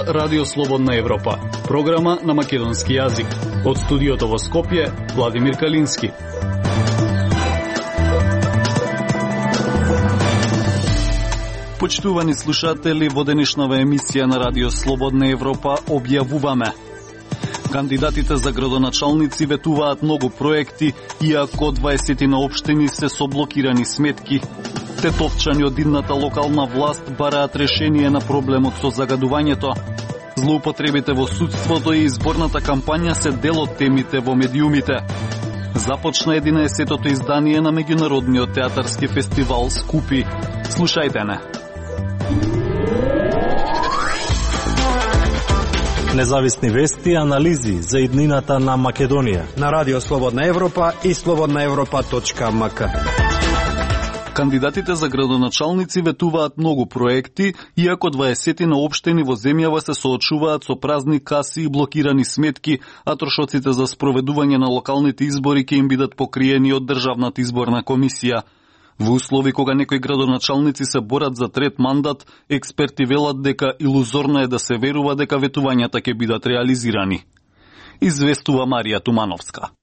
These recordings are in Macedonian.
слуша Радио Слободна Европа, програма на македонски јазик. Од студиото во Скопје, Владимир Калински. Почитувани слушатели, во денешнава емисија на Радио Слободна Европа објавуваме: кандидатите за градоначалници ветуваат многу проекти, иако 20 на општини се со блокирани сметки. Тетовчани од идната локална власт бараат решение на проблемот со загадувањето. Злоупотребите во судството и изборната кампања се дел од темите во медиумите. Започна 11-тото издание на меѓународниот театарски фестивал Скупи. Слушајте не. Независни вести и анализи за иднината на Македонија на Радио Слободна Европа и slobodnaevropa.mk. Кандидатите за градоначалници ветуваат многу проекти, иако 20 на општини во земјава се соочуваат со празни каси и блокирани сметки, а трошоците за спроведување на локалните избори ќе им бидат покриени од Државната изборна комисија. Во услови кога некои градоначалници се борат за трет мандат, експерти велат дека илузорно е да се верува дека ветувањата ќе бидат реализирани. Известува Марија Тумановска.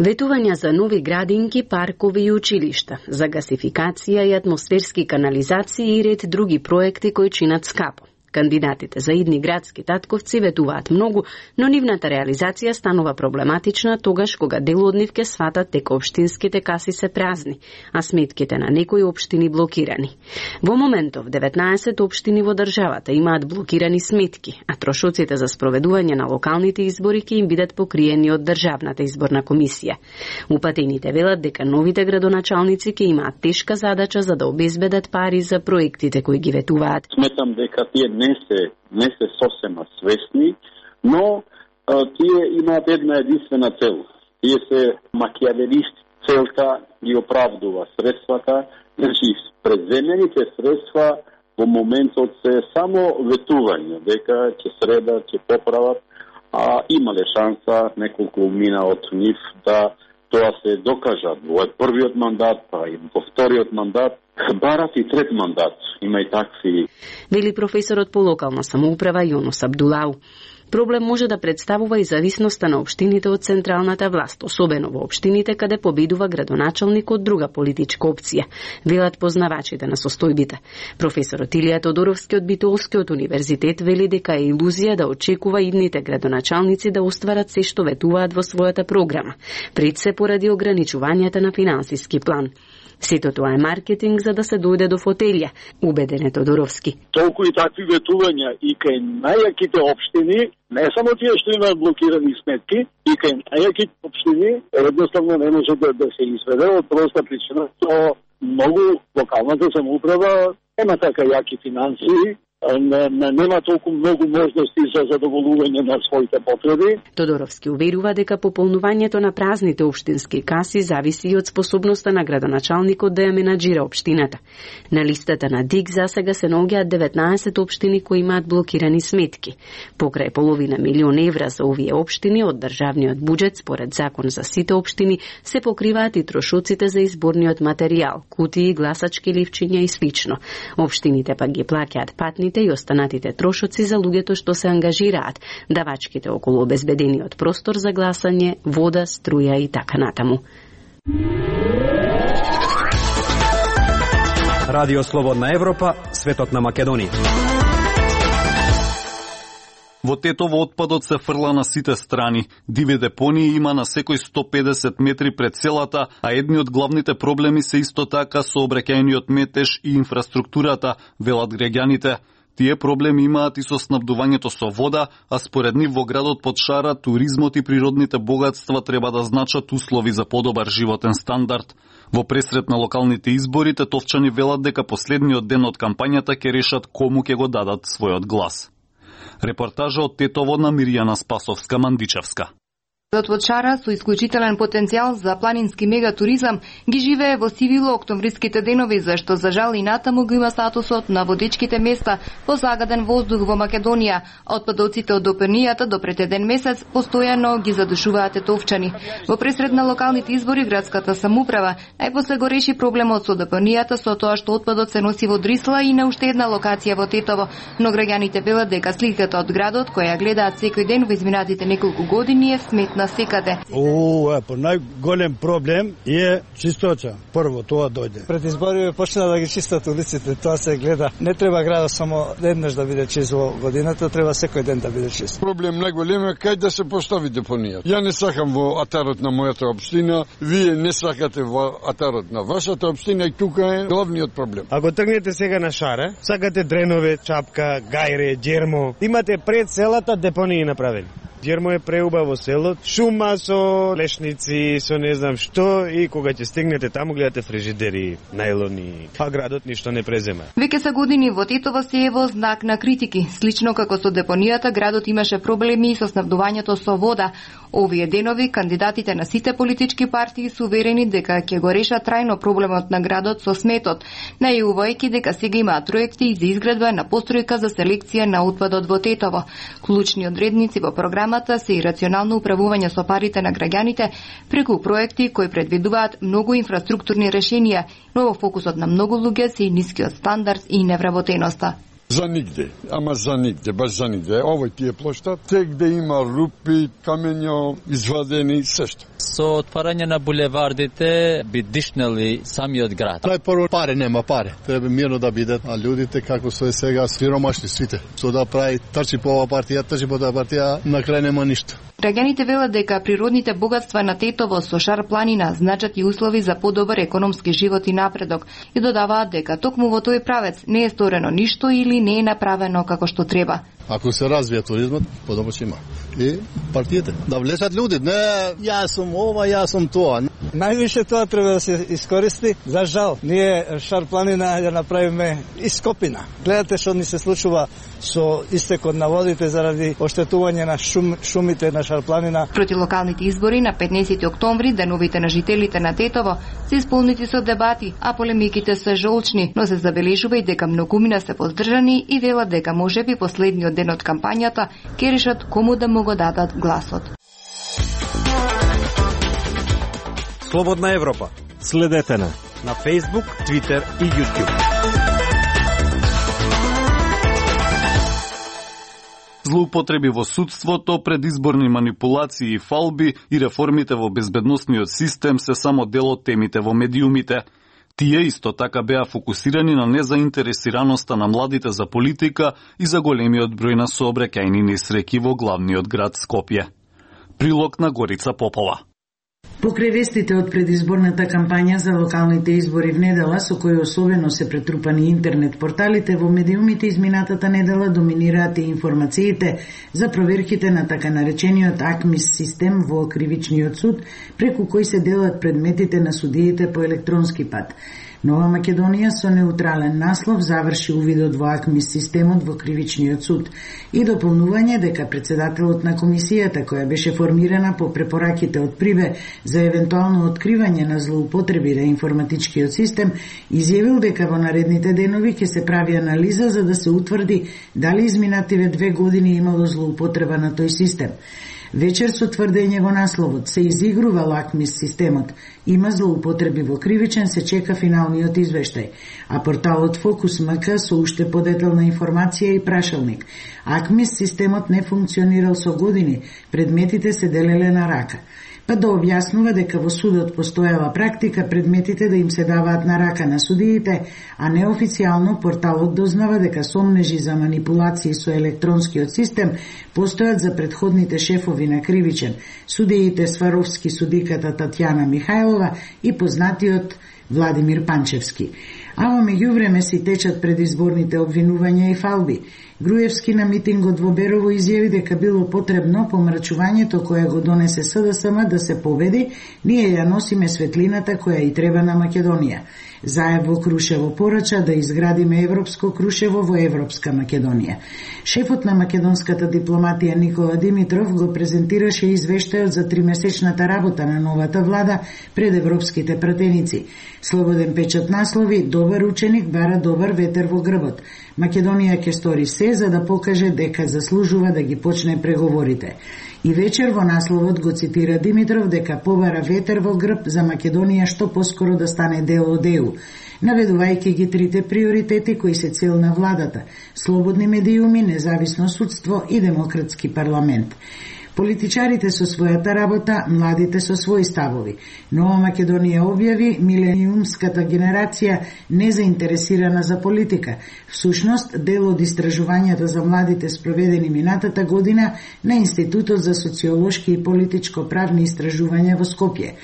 Ветувања за нови градинки, паркови и училишта, за гасификација и атмосферски канализации и ред други проекти кои чинат скапо. Кандидатите за идни градски татковци ветуваат многу, но нивната реализација станува проблематична тогаш кога дел од нив ке сватат дека општинските каси се празни, а сметките на некои општини блокирани. Во моментов 19 општини во државата имаат блокирани сметки, а трошоците за спроведување на локалните избори ќе им бидат покриени од Државната изборна комисија. Упатените велат дека новите градоначалници ќе имаат тешка задача за да обезбедат пари за проектите кои ги ветуваат. Сметам дека тие не се сосема свесни, но тие имаат една единствена цел. Тие се макиавелисти. Целта ги оправдува средствата, значи преземените средства во моментот се само ветување, дека ќе средат, ќе поправат, а имале шанса неколку мина од нив да тоа се докажат во првиот мандат, па и во вториот мандат, барат и трет мандат. Има и такви. Вели професорот по локална самоуправа Јонос Абдулау. Проблем може да представува и зависноста на општините од централната власт, особено во општините каде победува градоначалник од друга политичка опција, велат познавачите на состојбите. Професорот Илија Тодоровски од Битолскиот универзитет вели дека е илузија да очекува идните градоначалници да остварат се што ветуваат во својата програма, пред се поради ограничувањата на финансиски план. Сето тоа е маркетинг за да се дојде до фотелја, убеден е Тодоровски. Толку и такви ветувања и кај најаките општини, не само тие што имаат блокирани сметки, и кај најаките општини едноставно не може да се изведе од проста причина што многу локалната самоуправа нема така јаки финансии, нема толку многу можности за задоволување на своите потреби. Тодоровски уверува дека пополнувањето на празните општински каси зависи и од способноста на градоначалникот да ја менаџира општината. На листата на ДИК засега се наоѓаат 19 општини кои имаат блокирани сметки. Покрај половина милион евра за овие општини од државниот буџет, според закон за сите општини, се покриваат и трошоците за изборниот материјал, кутии, гласачки ливчиња и слично. Општините пак ги плаќаат патни и останатите трошоци за луѓето што се ангажираат, давачките околу обезбедениот простор за гласање, вода, струја и така натаму. Радио Слободна Европа, светот на Македонија. Во Тетово отпадот се фрла на сите страни. Диви депонии има на секој 150 метри пред селата, а едни од главните проблеми се исто така сообраќајниот метеж и инфраструктурата, велат граѓаните. Тие проблеми имаат и со снабдувањето со вода, а според нив во градот под шара туризмот и природните богатства треба да значат услови за подобар животен стандард. Во пресрет на локалните избори, тетовчани велат дека последниот ден од кампањата ќе решат кому ќе го дадат својот глас. Репортажа од Тетово на Мирјана Спасовска-Мандичевска. Од Шара со исклучителен потенцијал за планински мегатуризам ги живее во сивило октомвриските денови, зашто за жал и натаму го има статусот на водичките места по загаден воздух во Македонија. Отпадоците од депонијата до пред еден месец постојано ги задушуваат етовчани. Во пресред на локалните избори градската самоуправа најпосле го реши проблемот со депонијата со тоа што отпадот се носи во Дрисла и на уште една локација во Тетово, но граѓаните велат дека сликата од градот која гледаат секој ден во изминатите неколку години е сметна секаде. По најголем проблем е чисточа. Прво тоа дојде. Пред избори почна да ги чистат улиците, тоа се гледа. Не треба градот само еднаш да биде чист во годината, треба секој ден да биде чист. Проблем најголем е кај да се постави депонија. Ја не сакам во атарот на мојата општина, вие не сакате во атарот на вашата општина и тука е главниот проблем. Ако тргнете сега на Шара, сакате Дренове, Чапка, Гајре, Џермо, имате пред селата депонии направени. Џермо е преубаво село, шума со лешници, со не знам што, и кога ќе стигнете таму гледате фрижидери, најлони, а градот ништо не презема. Веќе са години во Тетово се е во знак на критики. Слично како со депонијата, градот имаше проблеми со снабдувањето со вода. Овие денови кандидатите на сите политички партии се уверени дека ќе го решат трајно проблемот на градот со сметот, најувајќи дека сега имаат проекти за изградба на постројка за селекција на отпадот во Тетово. Клучни одредници во програмата се и рационално управување со парите на граѓаните преку проекти кои предвидуваат многу инфраструктурни решенија, но во фокусот на многу луѓе се и нискиот стандард и невработеноста. За нигде, ама за нигде, баш за нигде. Овој тие площад, те где има рупи, камења, извадени, сешто. Со отварање на булевардите би дишнали самиот град. Најпрво пари нема пари. Треба мирно да бидат, а луѓите како се сега сиромашни сите. Со да прави трчи по ова партија, трчи по таа партија, на крај нема ништо. Граѓаните велат дека природните богатства на Тетово со Шар планина значат и услови за подобар економски живот и напредок и додаваат дека токму во тој правец не е сторено ништо или не е направено како што треба. Ако се развие туризмот, подобро ќе има. И партиите да влезат луѓе, не јас сум ова, јас сум тоа. Највише тоа треба да се искористи. За жал, ние Шар планина ја направиме ископина. Гледате што ни се случува со истекот на водите заради оштетување на шумите на Шар планина. Проти локалните избори на 15 октомври, деновите на жителите на Тетово се исполнети со дебати, а полемиките се жолчни, но се забележува и дека многумина се воздржани и велат дека можеби последниот ден од кампањата ќе решат кому да му го дадат гласот. Слободна Европа. Следете на Facebook, Twitter и YouTube. Злоупотреби во судството, предизборни манипулации и фалби и реформите во безбедносниот систем се само дел од темите во медиумите. Тие исто така беа фокусирани на незаинтересираноста на младите за политика и за големиот број на сообраќајни несреќи во главниот град Скопје. Прилог на Горица Попова. Покрај вестите од предизборната кампања за локалните избори в недела, со кои особено се претрупани интернет порталите, во медиумите изминатата недела доминираат и информациите за проверките на така наречениот АКМИС систем во кривичниот суд, преку кој се делат предметите на судиите по електронски пат. Нова Македонија со неутрален наслов заврши увидот во АКМИС системот во кривичниот суд и дополнување дека председателот на комисијата, која беше формирана по препораките од Прибе за евентуално откривање на злоупотреби на информатичкиот систем, изјавил дека во наредните денови ќе се прави анализа за да се утврди дали изминативе 2 години имало злоупотреба на тој систем. Вечер со тврдење во насловот се изигрува АКМИС системот, има злоупотреби во кривичен, се чека финалниот извештај, а порталот Фокус МК со уште подетелна информација и прашалник. АКМИС системот не функционирал со години, предметите се делеле на рака. Па да објаснува дека во судот постоела практика предметите да им се даваат на рака на судиите, а неофицијално порталот дознава дека сомнежи за манипулации со електронскиот систем постојат за предходните шефови на кривичен, судиите Сваровски, судиката Татјана Михајлова и познатиот Владимир Панчевски. А во меѓувреме си течат предизборните обвинувања и фалби. Груевски на митингот во Берово изјави дека било потребно помрачувањето кое го донесе СДСМ да се победи, ние ја носиме светлината која и треба на Македонија. Заев во Крушево порача да изградиме Европско Крушево во Европска Македонија. Шефот на македонската дипломатија Никола Димитров го презентираше извештајот за 3-месечната работа на новата влада пред европските пратеници. Слободен печат наслови: добар ученик бара добар ветер во грбот. Македонија ќе стори се за да покаже дека заслужува да ги почне преговорите. И вечер во насловот го цитира Димитров дека побара ветер во грб за Македонија што поскоро да стане дел од ЕУ, наведувајќи ги трите приоритети кои се цел на владата: слободни медиуми, независно судство и демократски парламент. Политичарите со својата работа, младите со своји ставови. Нова Македонија објави милениумската генерација незаинтересирана за политика. Всушност, дел од истражувањата за младите спроведени минатата година на Институтот за социолошки и политичко-правни истражувања во Скопје.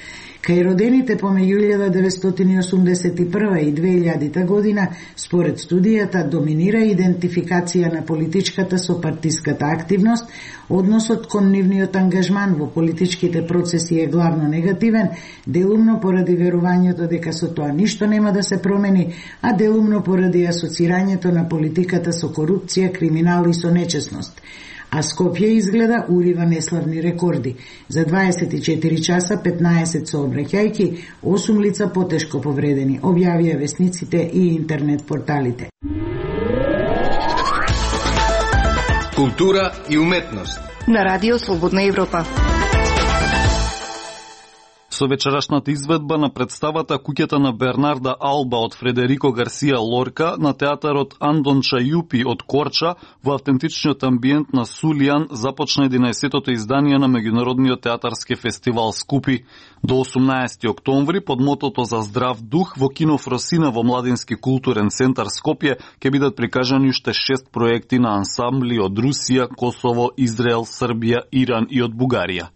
Кај родените помеѓу 1981 и 2000 година, според студијата, доминира идентификација на политичката со партиската активност, односот кон нивниот ангажман во политичките процеси е главно негативен, делумно поради верувањето дека со тоа ништо нема да се промени, а делумно поради асоцирањето на политиката со корупција, криминал и со нечесност. А Скопје изгледа урива неславни рекорди. За 24 часа 15 сообраќајки, 8 лица потешко повредени, објавија весниците и интернет порталите. Култура и уметност на Радио Слободна Европа. Со вечерашната изведба на представата Куќата на Бернарда Алба од Фредерико Гарсија Лорка на театарот Андон Чајупи од Корча во автентичниот амбиент на Сулијан започна 11-тото издание на Меѓународниот театарски фестивал Скупи. До 18 октомври под мотото за здрав дух во кино Фросина во Младински културен центар Скопје ќе бидат прикажани уште 6 проекти на ансамбли од Русија, Косово, Израел, Србија, Иран и од Бугарија.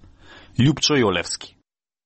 Љупчо Јолевски.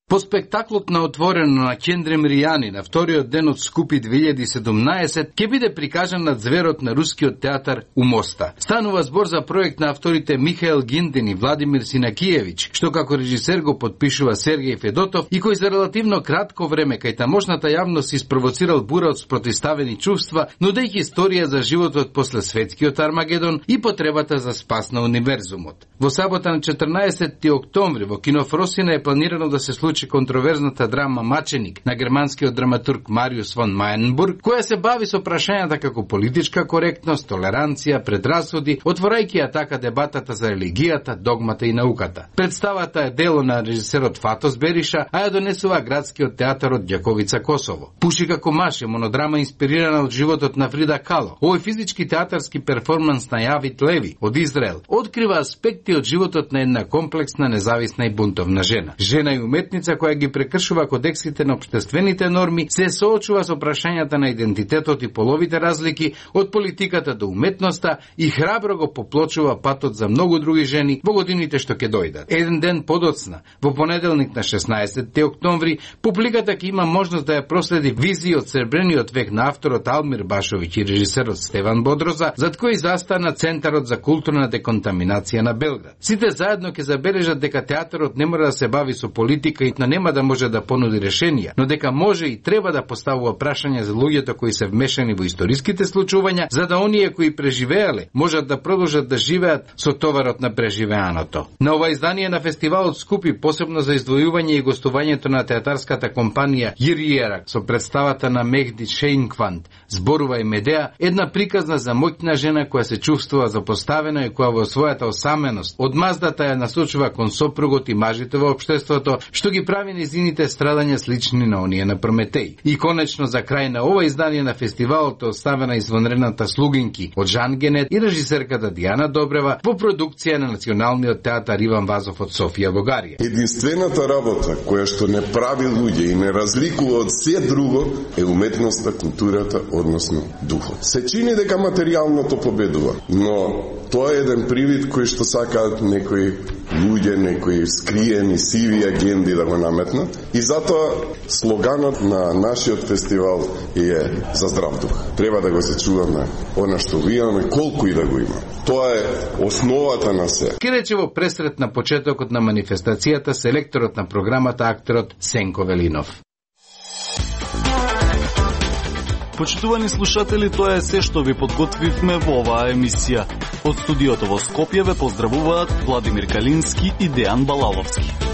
По спектаклот на отворено на Кендрем Ријани на вториот ден од Скупи 2017 ќе биде прикажан на зверот на рускиот театар у Моста. Станува збор за проект на авторите Михаел Гиндин и Владимир Синакиевич, што како режисер го подпишува Сергеј Федотов и кој за релативно кратко време кај тамошната јавност испровоцирал бура од спротивставени чувства, нудејќи историја за животот после светскиот Армагедон и потребата за спас на универзумот. Во сабота на 14 октомври во кино Фросина е планирано да се случи контроверзната драма Маченик на германскиот драматург Мариус фон Мајенбург, која се бави со прашањата како политичка коректност, толеранција, предрасуди, отворајќи ја така дебатата за религијата, догмата и науката. Представата е дело на режисерот Фатос Бериша, а ја донесува градскиот театар од Ѓаковица, Косово. Пуши како маш е монодрама инспирирана од животот на Фрида Кало. Овој физички театарски перформанс на Јавит Леви од Израел открива аспекти од животот на една комплексна, независна и бунтовна жена. Жена и уметница која ги прекршува кодексите на општествените норми, се соочува со прашањата на идентитетот и половите разлики од политиката до уметноста и храбро го поплочува патот за многу други жени во годините што ќе дојдат. Еден ден подоцна, во понеделник на 16 октомври, публиката ќе има можност да ја проследи визии од сребрениот век на авторот Алмир Башовиќ и режисерот Стеван Бодроза, зад кој застана Центарот за културна деконтаминација на Белград. Сите заедно ќе забележат дека театарот не мора да се бави со политика и нема да може да понуди решенија, но дека може и треба да поставува прашања за луѓето кои се вмешани во историските случувања, за да оние кои преживеале можат да продолжат да живеат со товарот на преживеаното. На ова издание на фестивалот Скупи, посебно за издвојување и гостувањето на театарската компанија Јириерак со представата на Мехди Шейнкванд, зборува и Медеа, една приказна за моќна жена која се чувствува запоставена и која во својата осаменост од маздата ја насочува кон сопругот и мажите во општеството, што ги прави низините страдања слични на оние на Прометеј. И конечно за крај на ова издание на фестивалот е оставена извонредната Слугинки од Жан Генет и режисерката Дијана Добрева во продукција на Националниот театар Иван Вазов од Софија, Бугарија. Единствената работа која што не прави луѓе и не разликува од се друго е уметноста, културата, односно духот. Се чини дека материјалното победува, но тоа е еден привид кој што сакаат некои луѓе, некои скриени, сиви агенди да го наметнат. И затоа слоганот на нашиот фестивал е за здрав дух. Треба да го сечуваме она што имаме, колку и да го има. Тоа е основата на се. Ке рече во пресрет на почетокот на манифестацијата селекторот на програмата акторот Сенко Велинов. Почитувани слушатели, тоа е се што ви подготвивме во оваа емисија. Од студиото во Скопје ве поздравуваат Владимир Калински и Дејан Балаловски.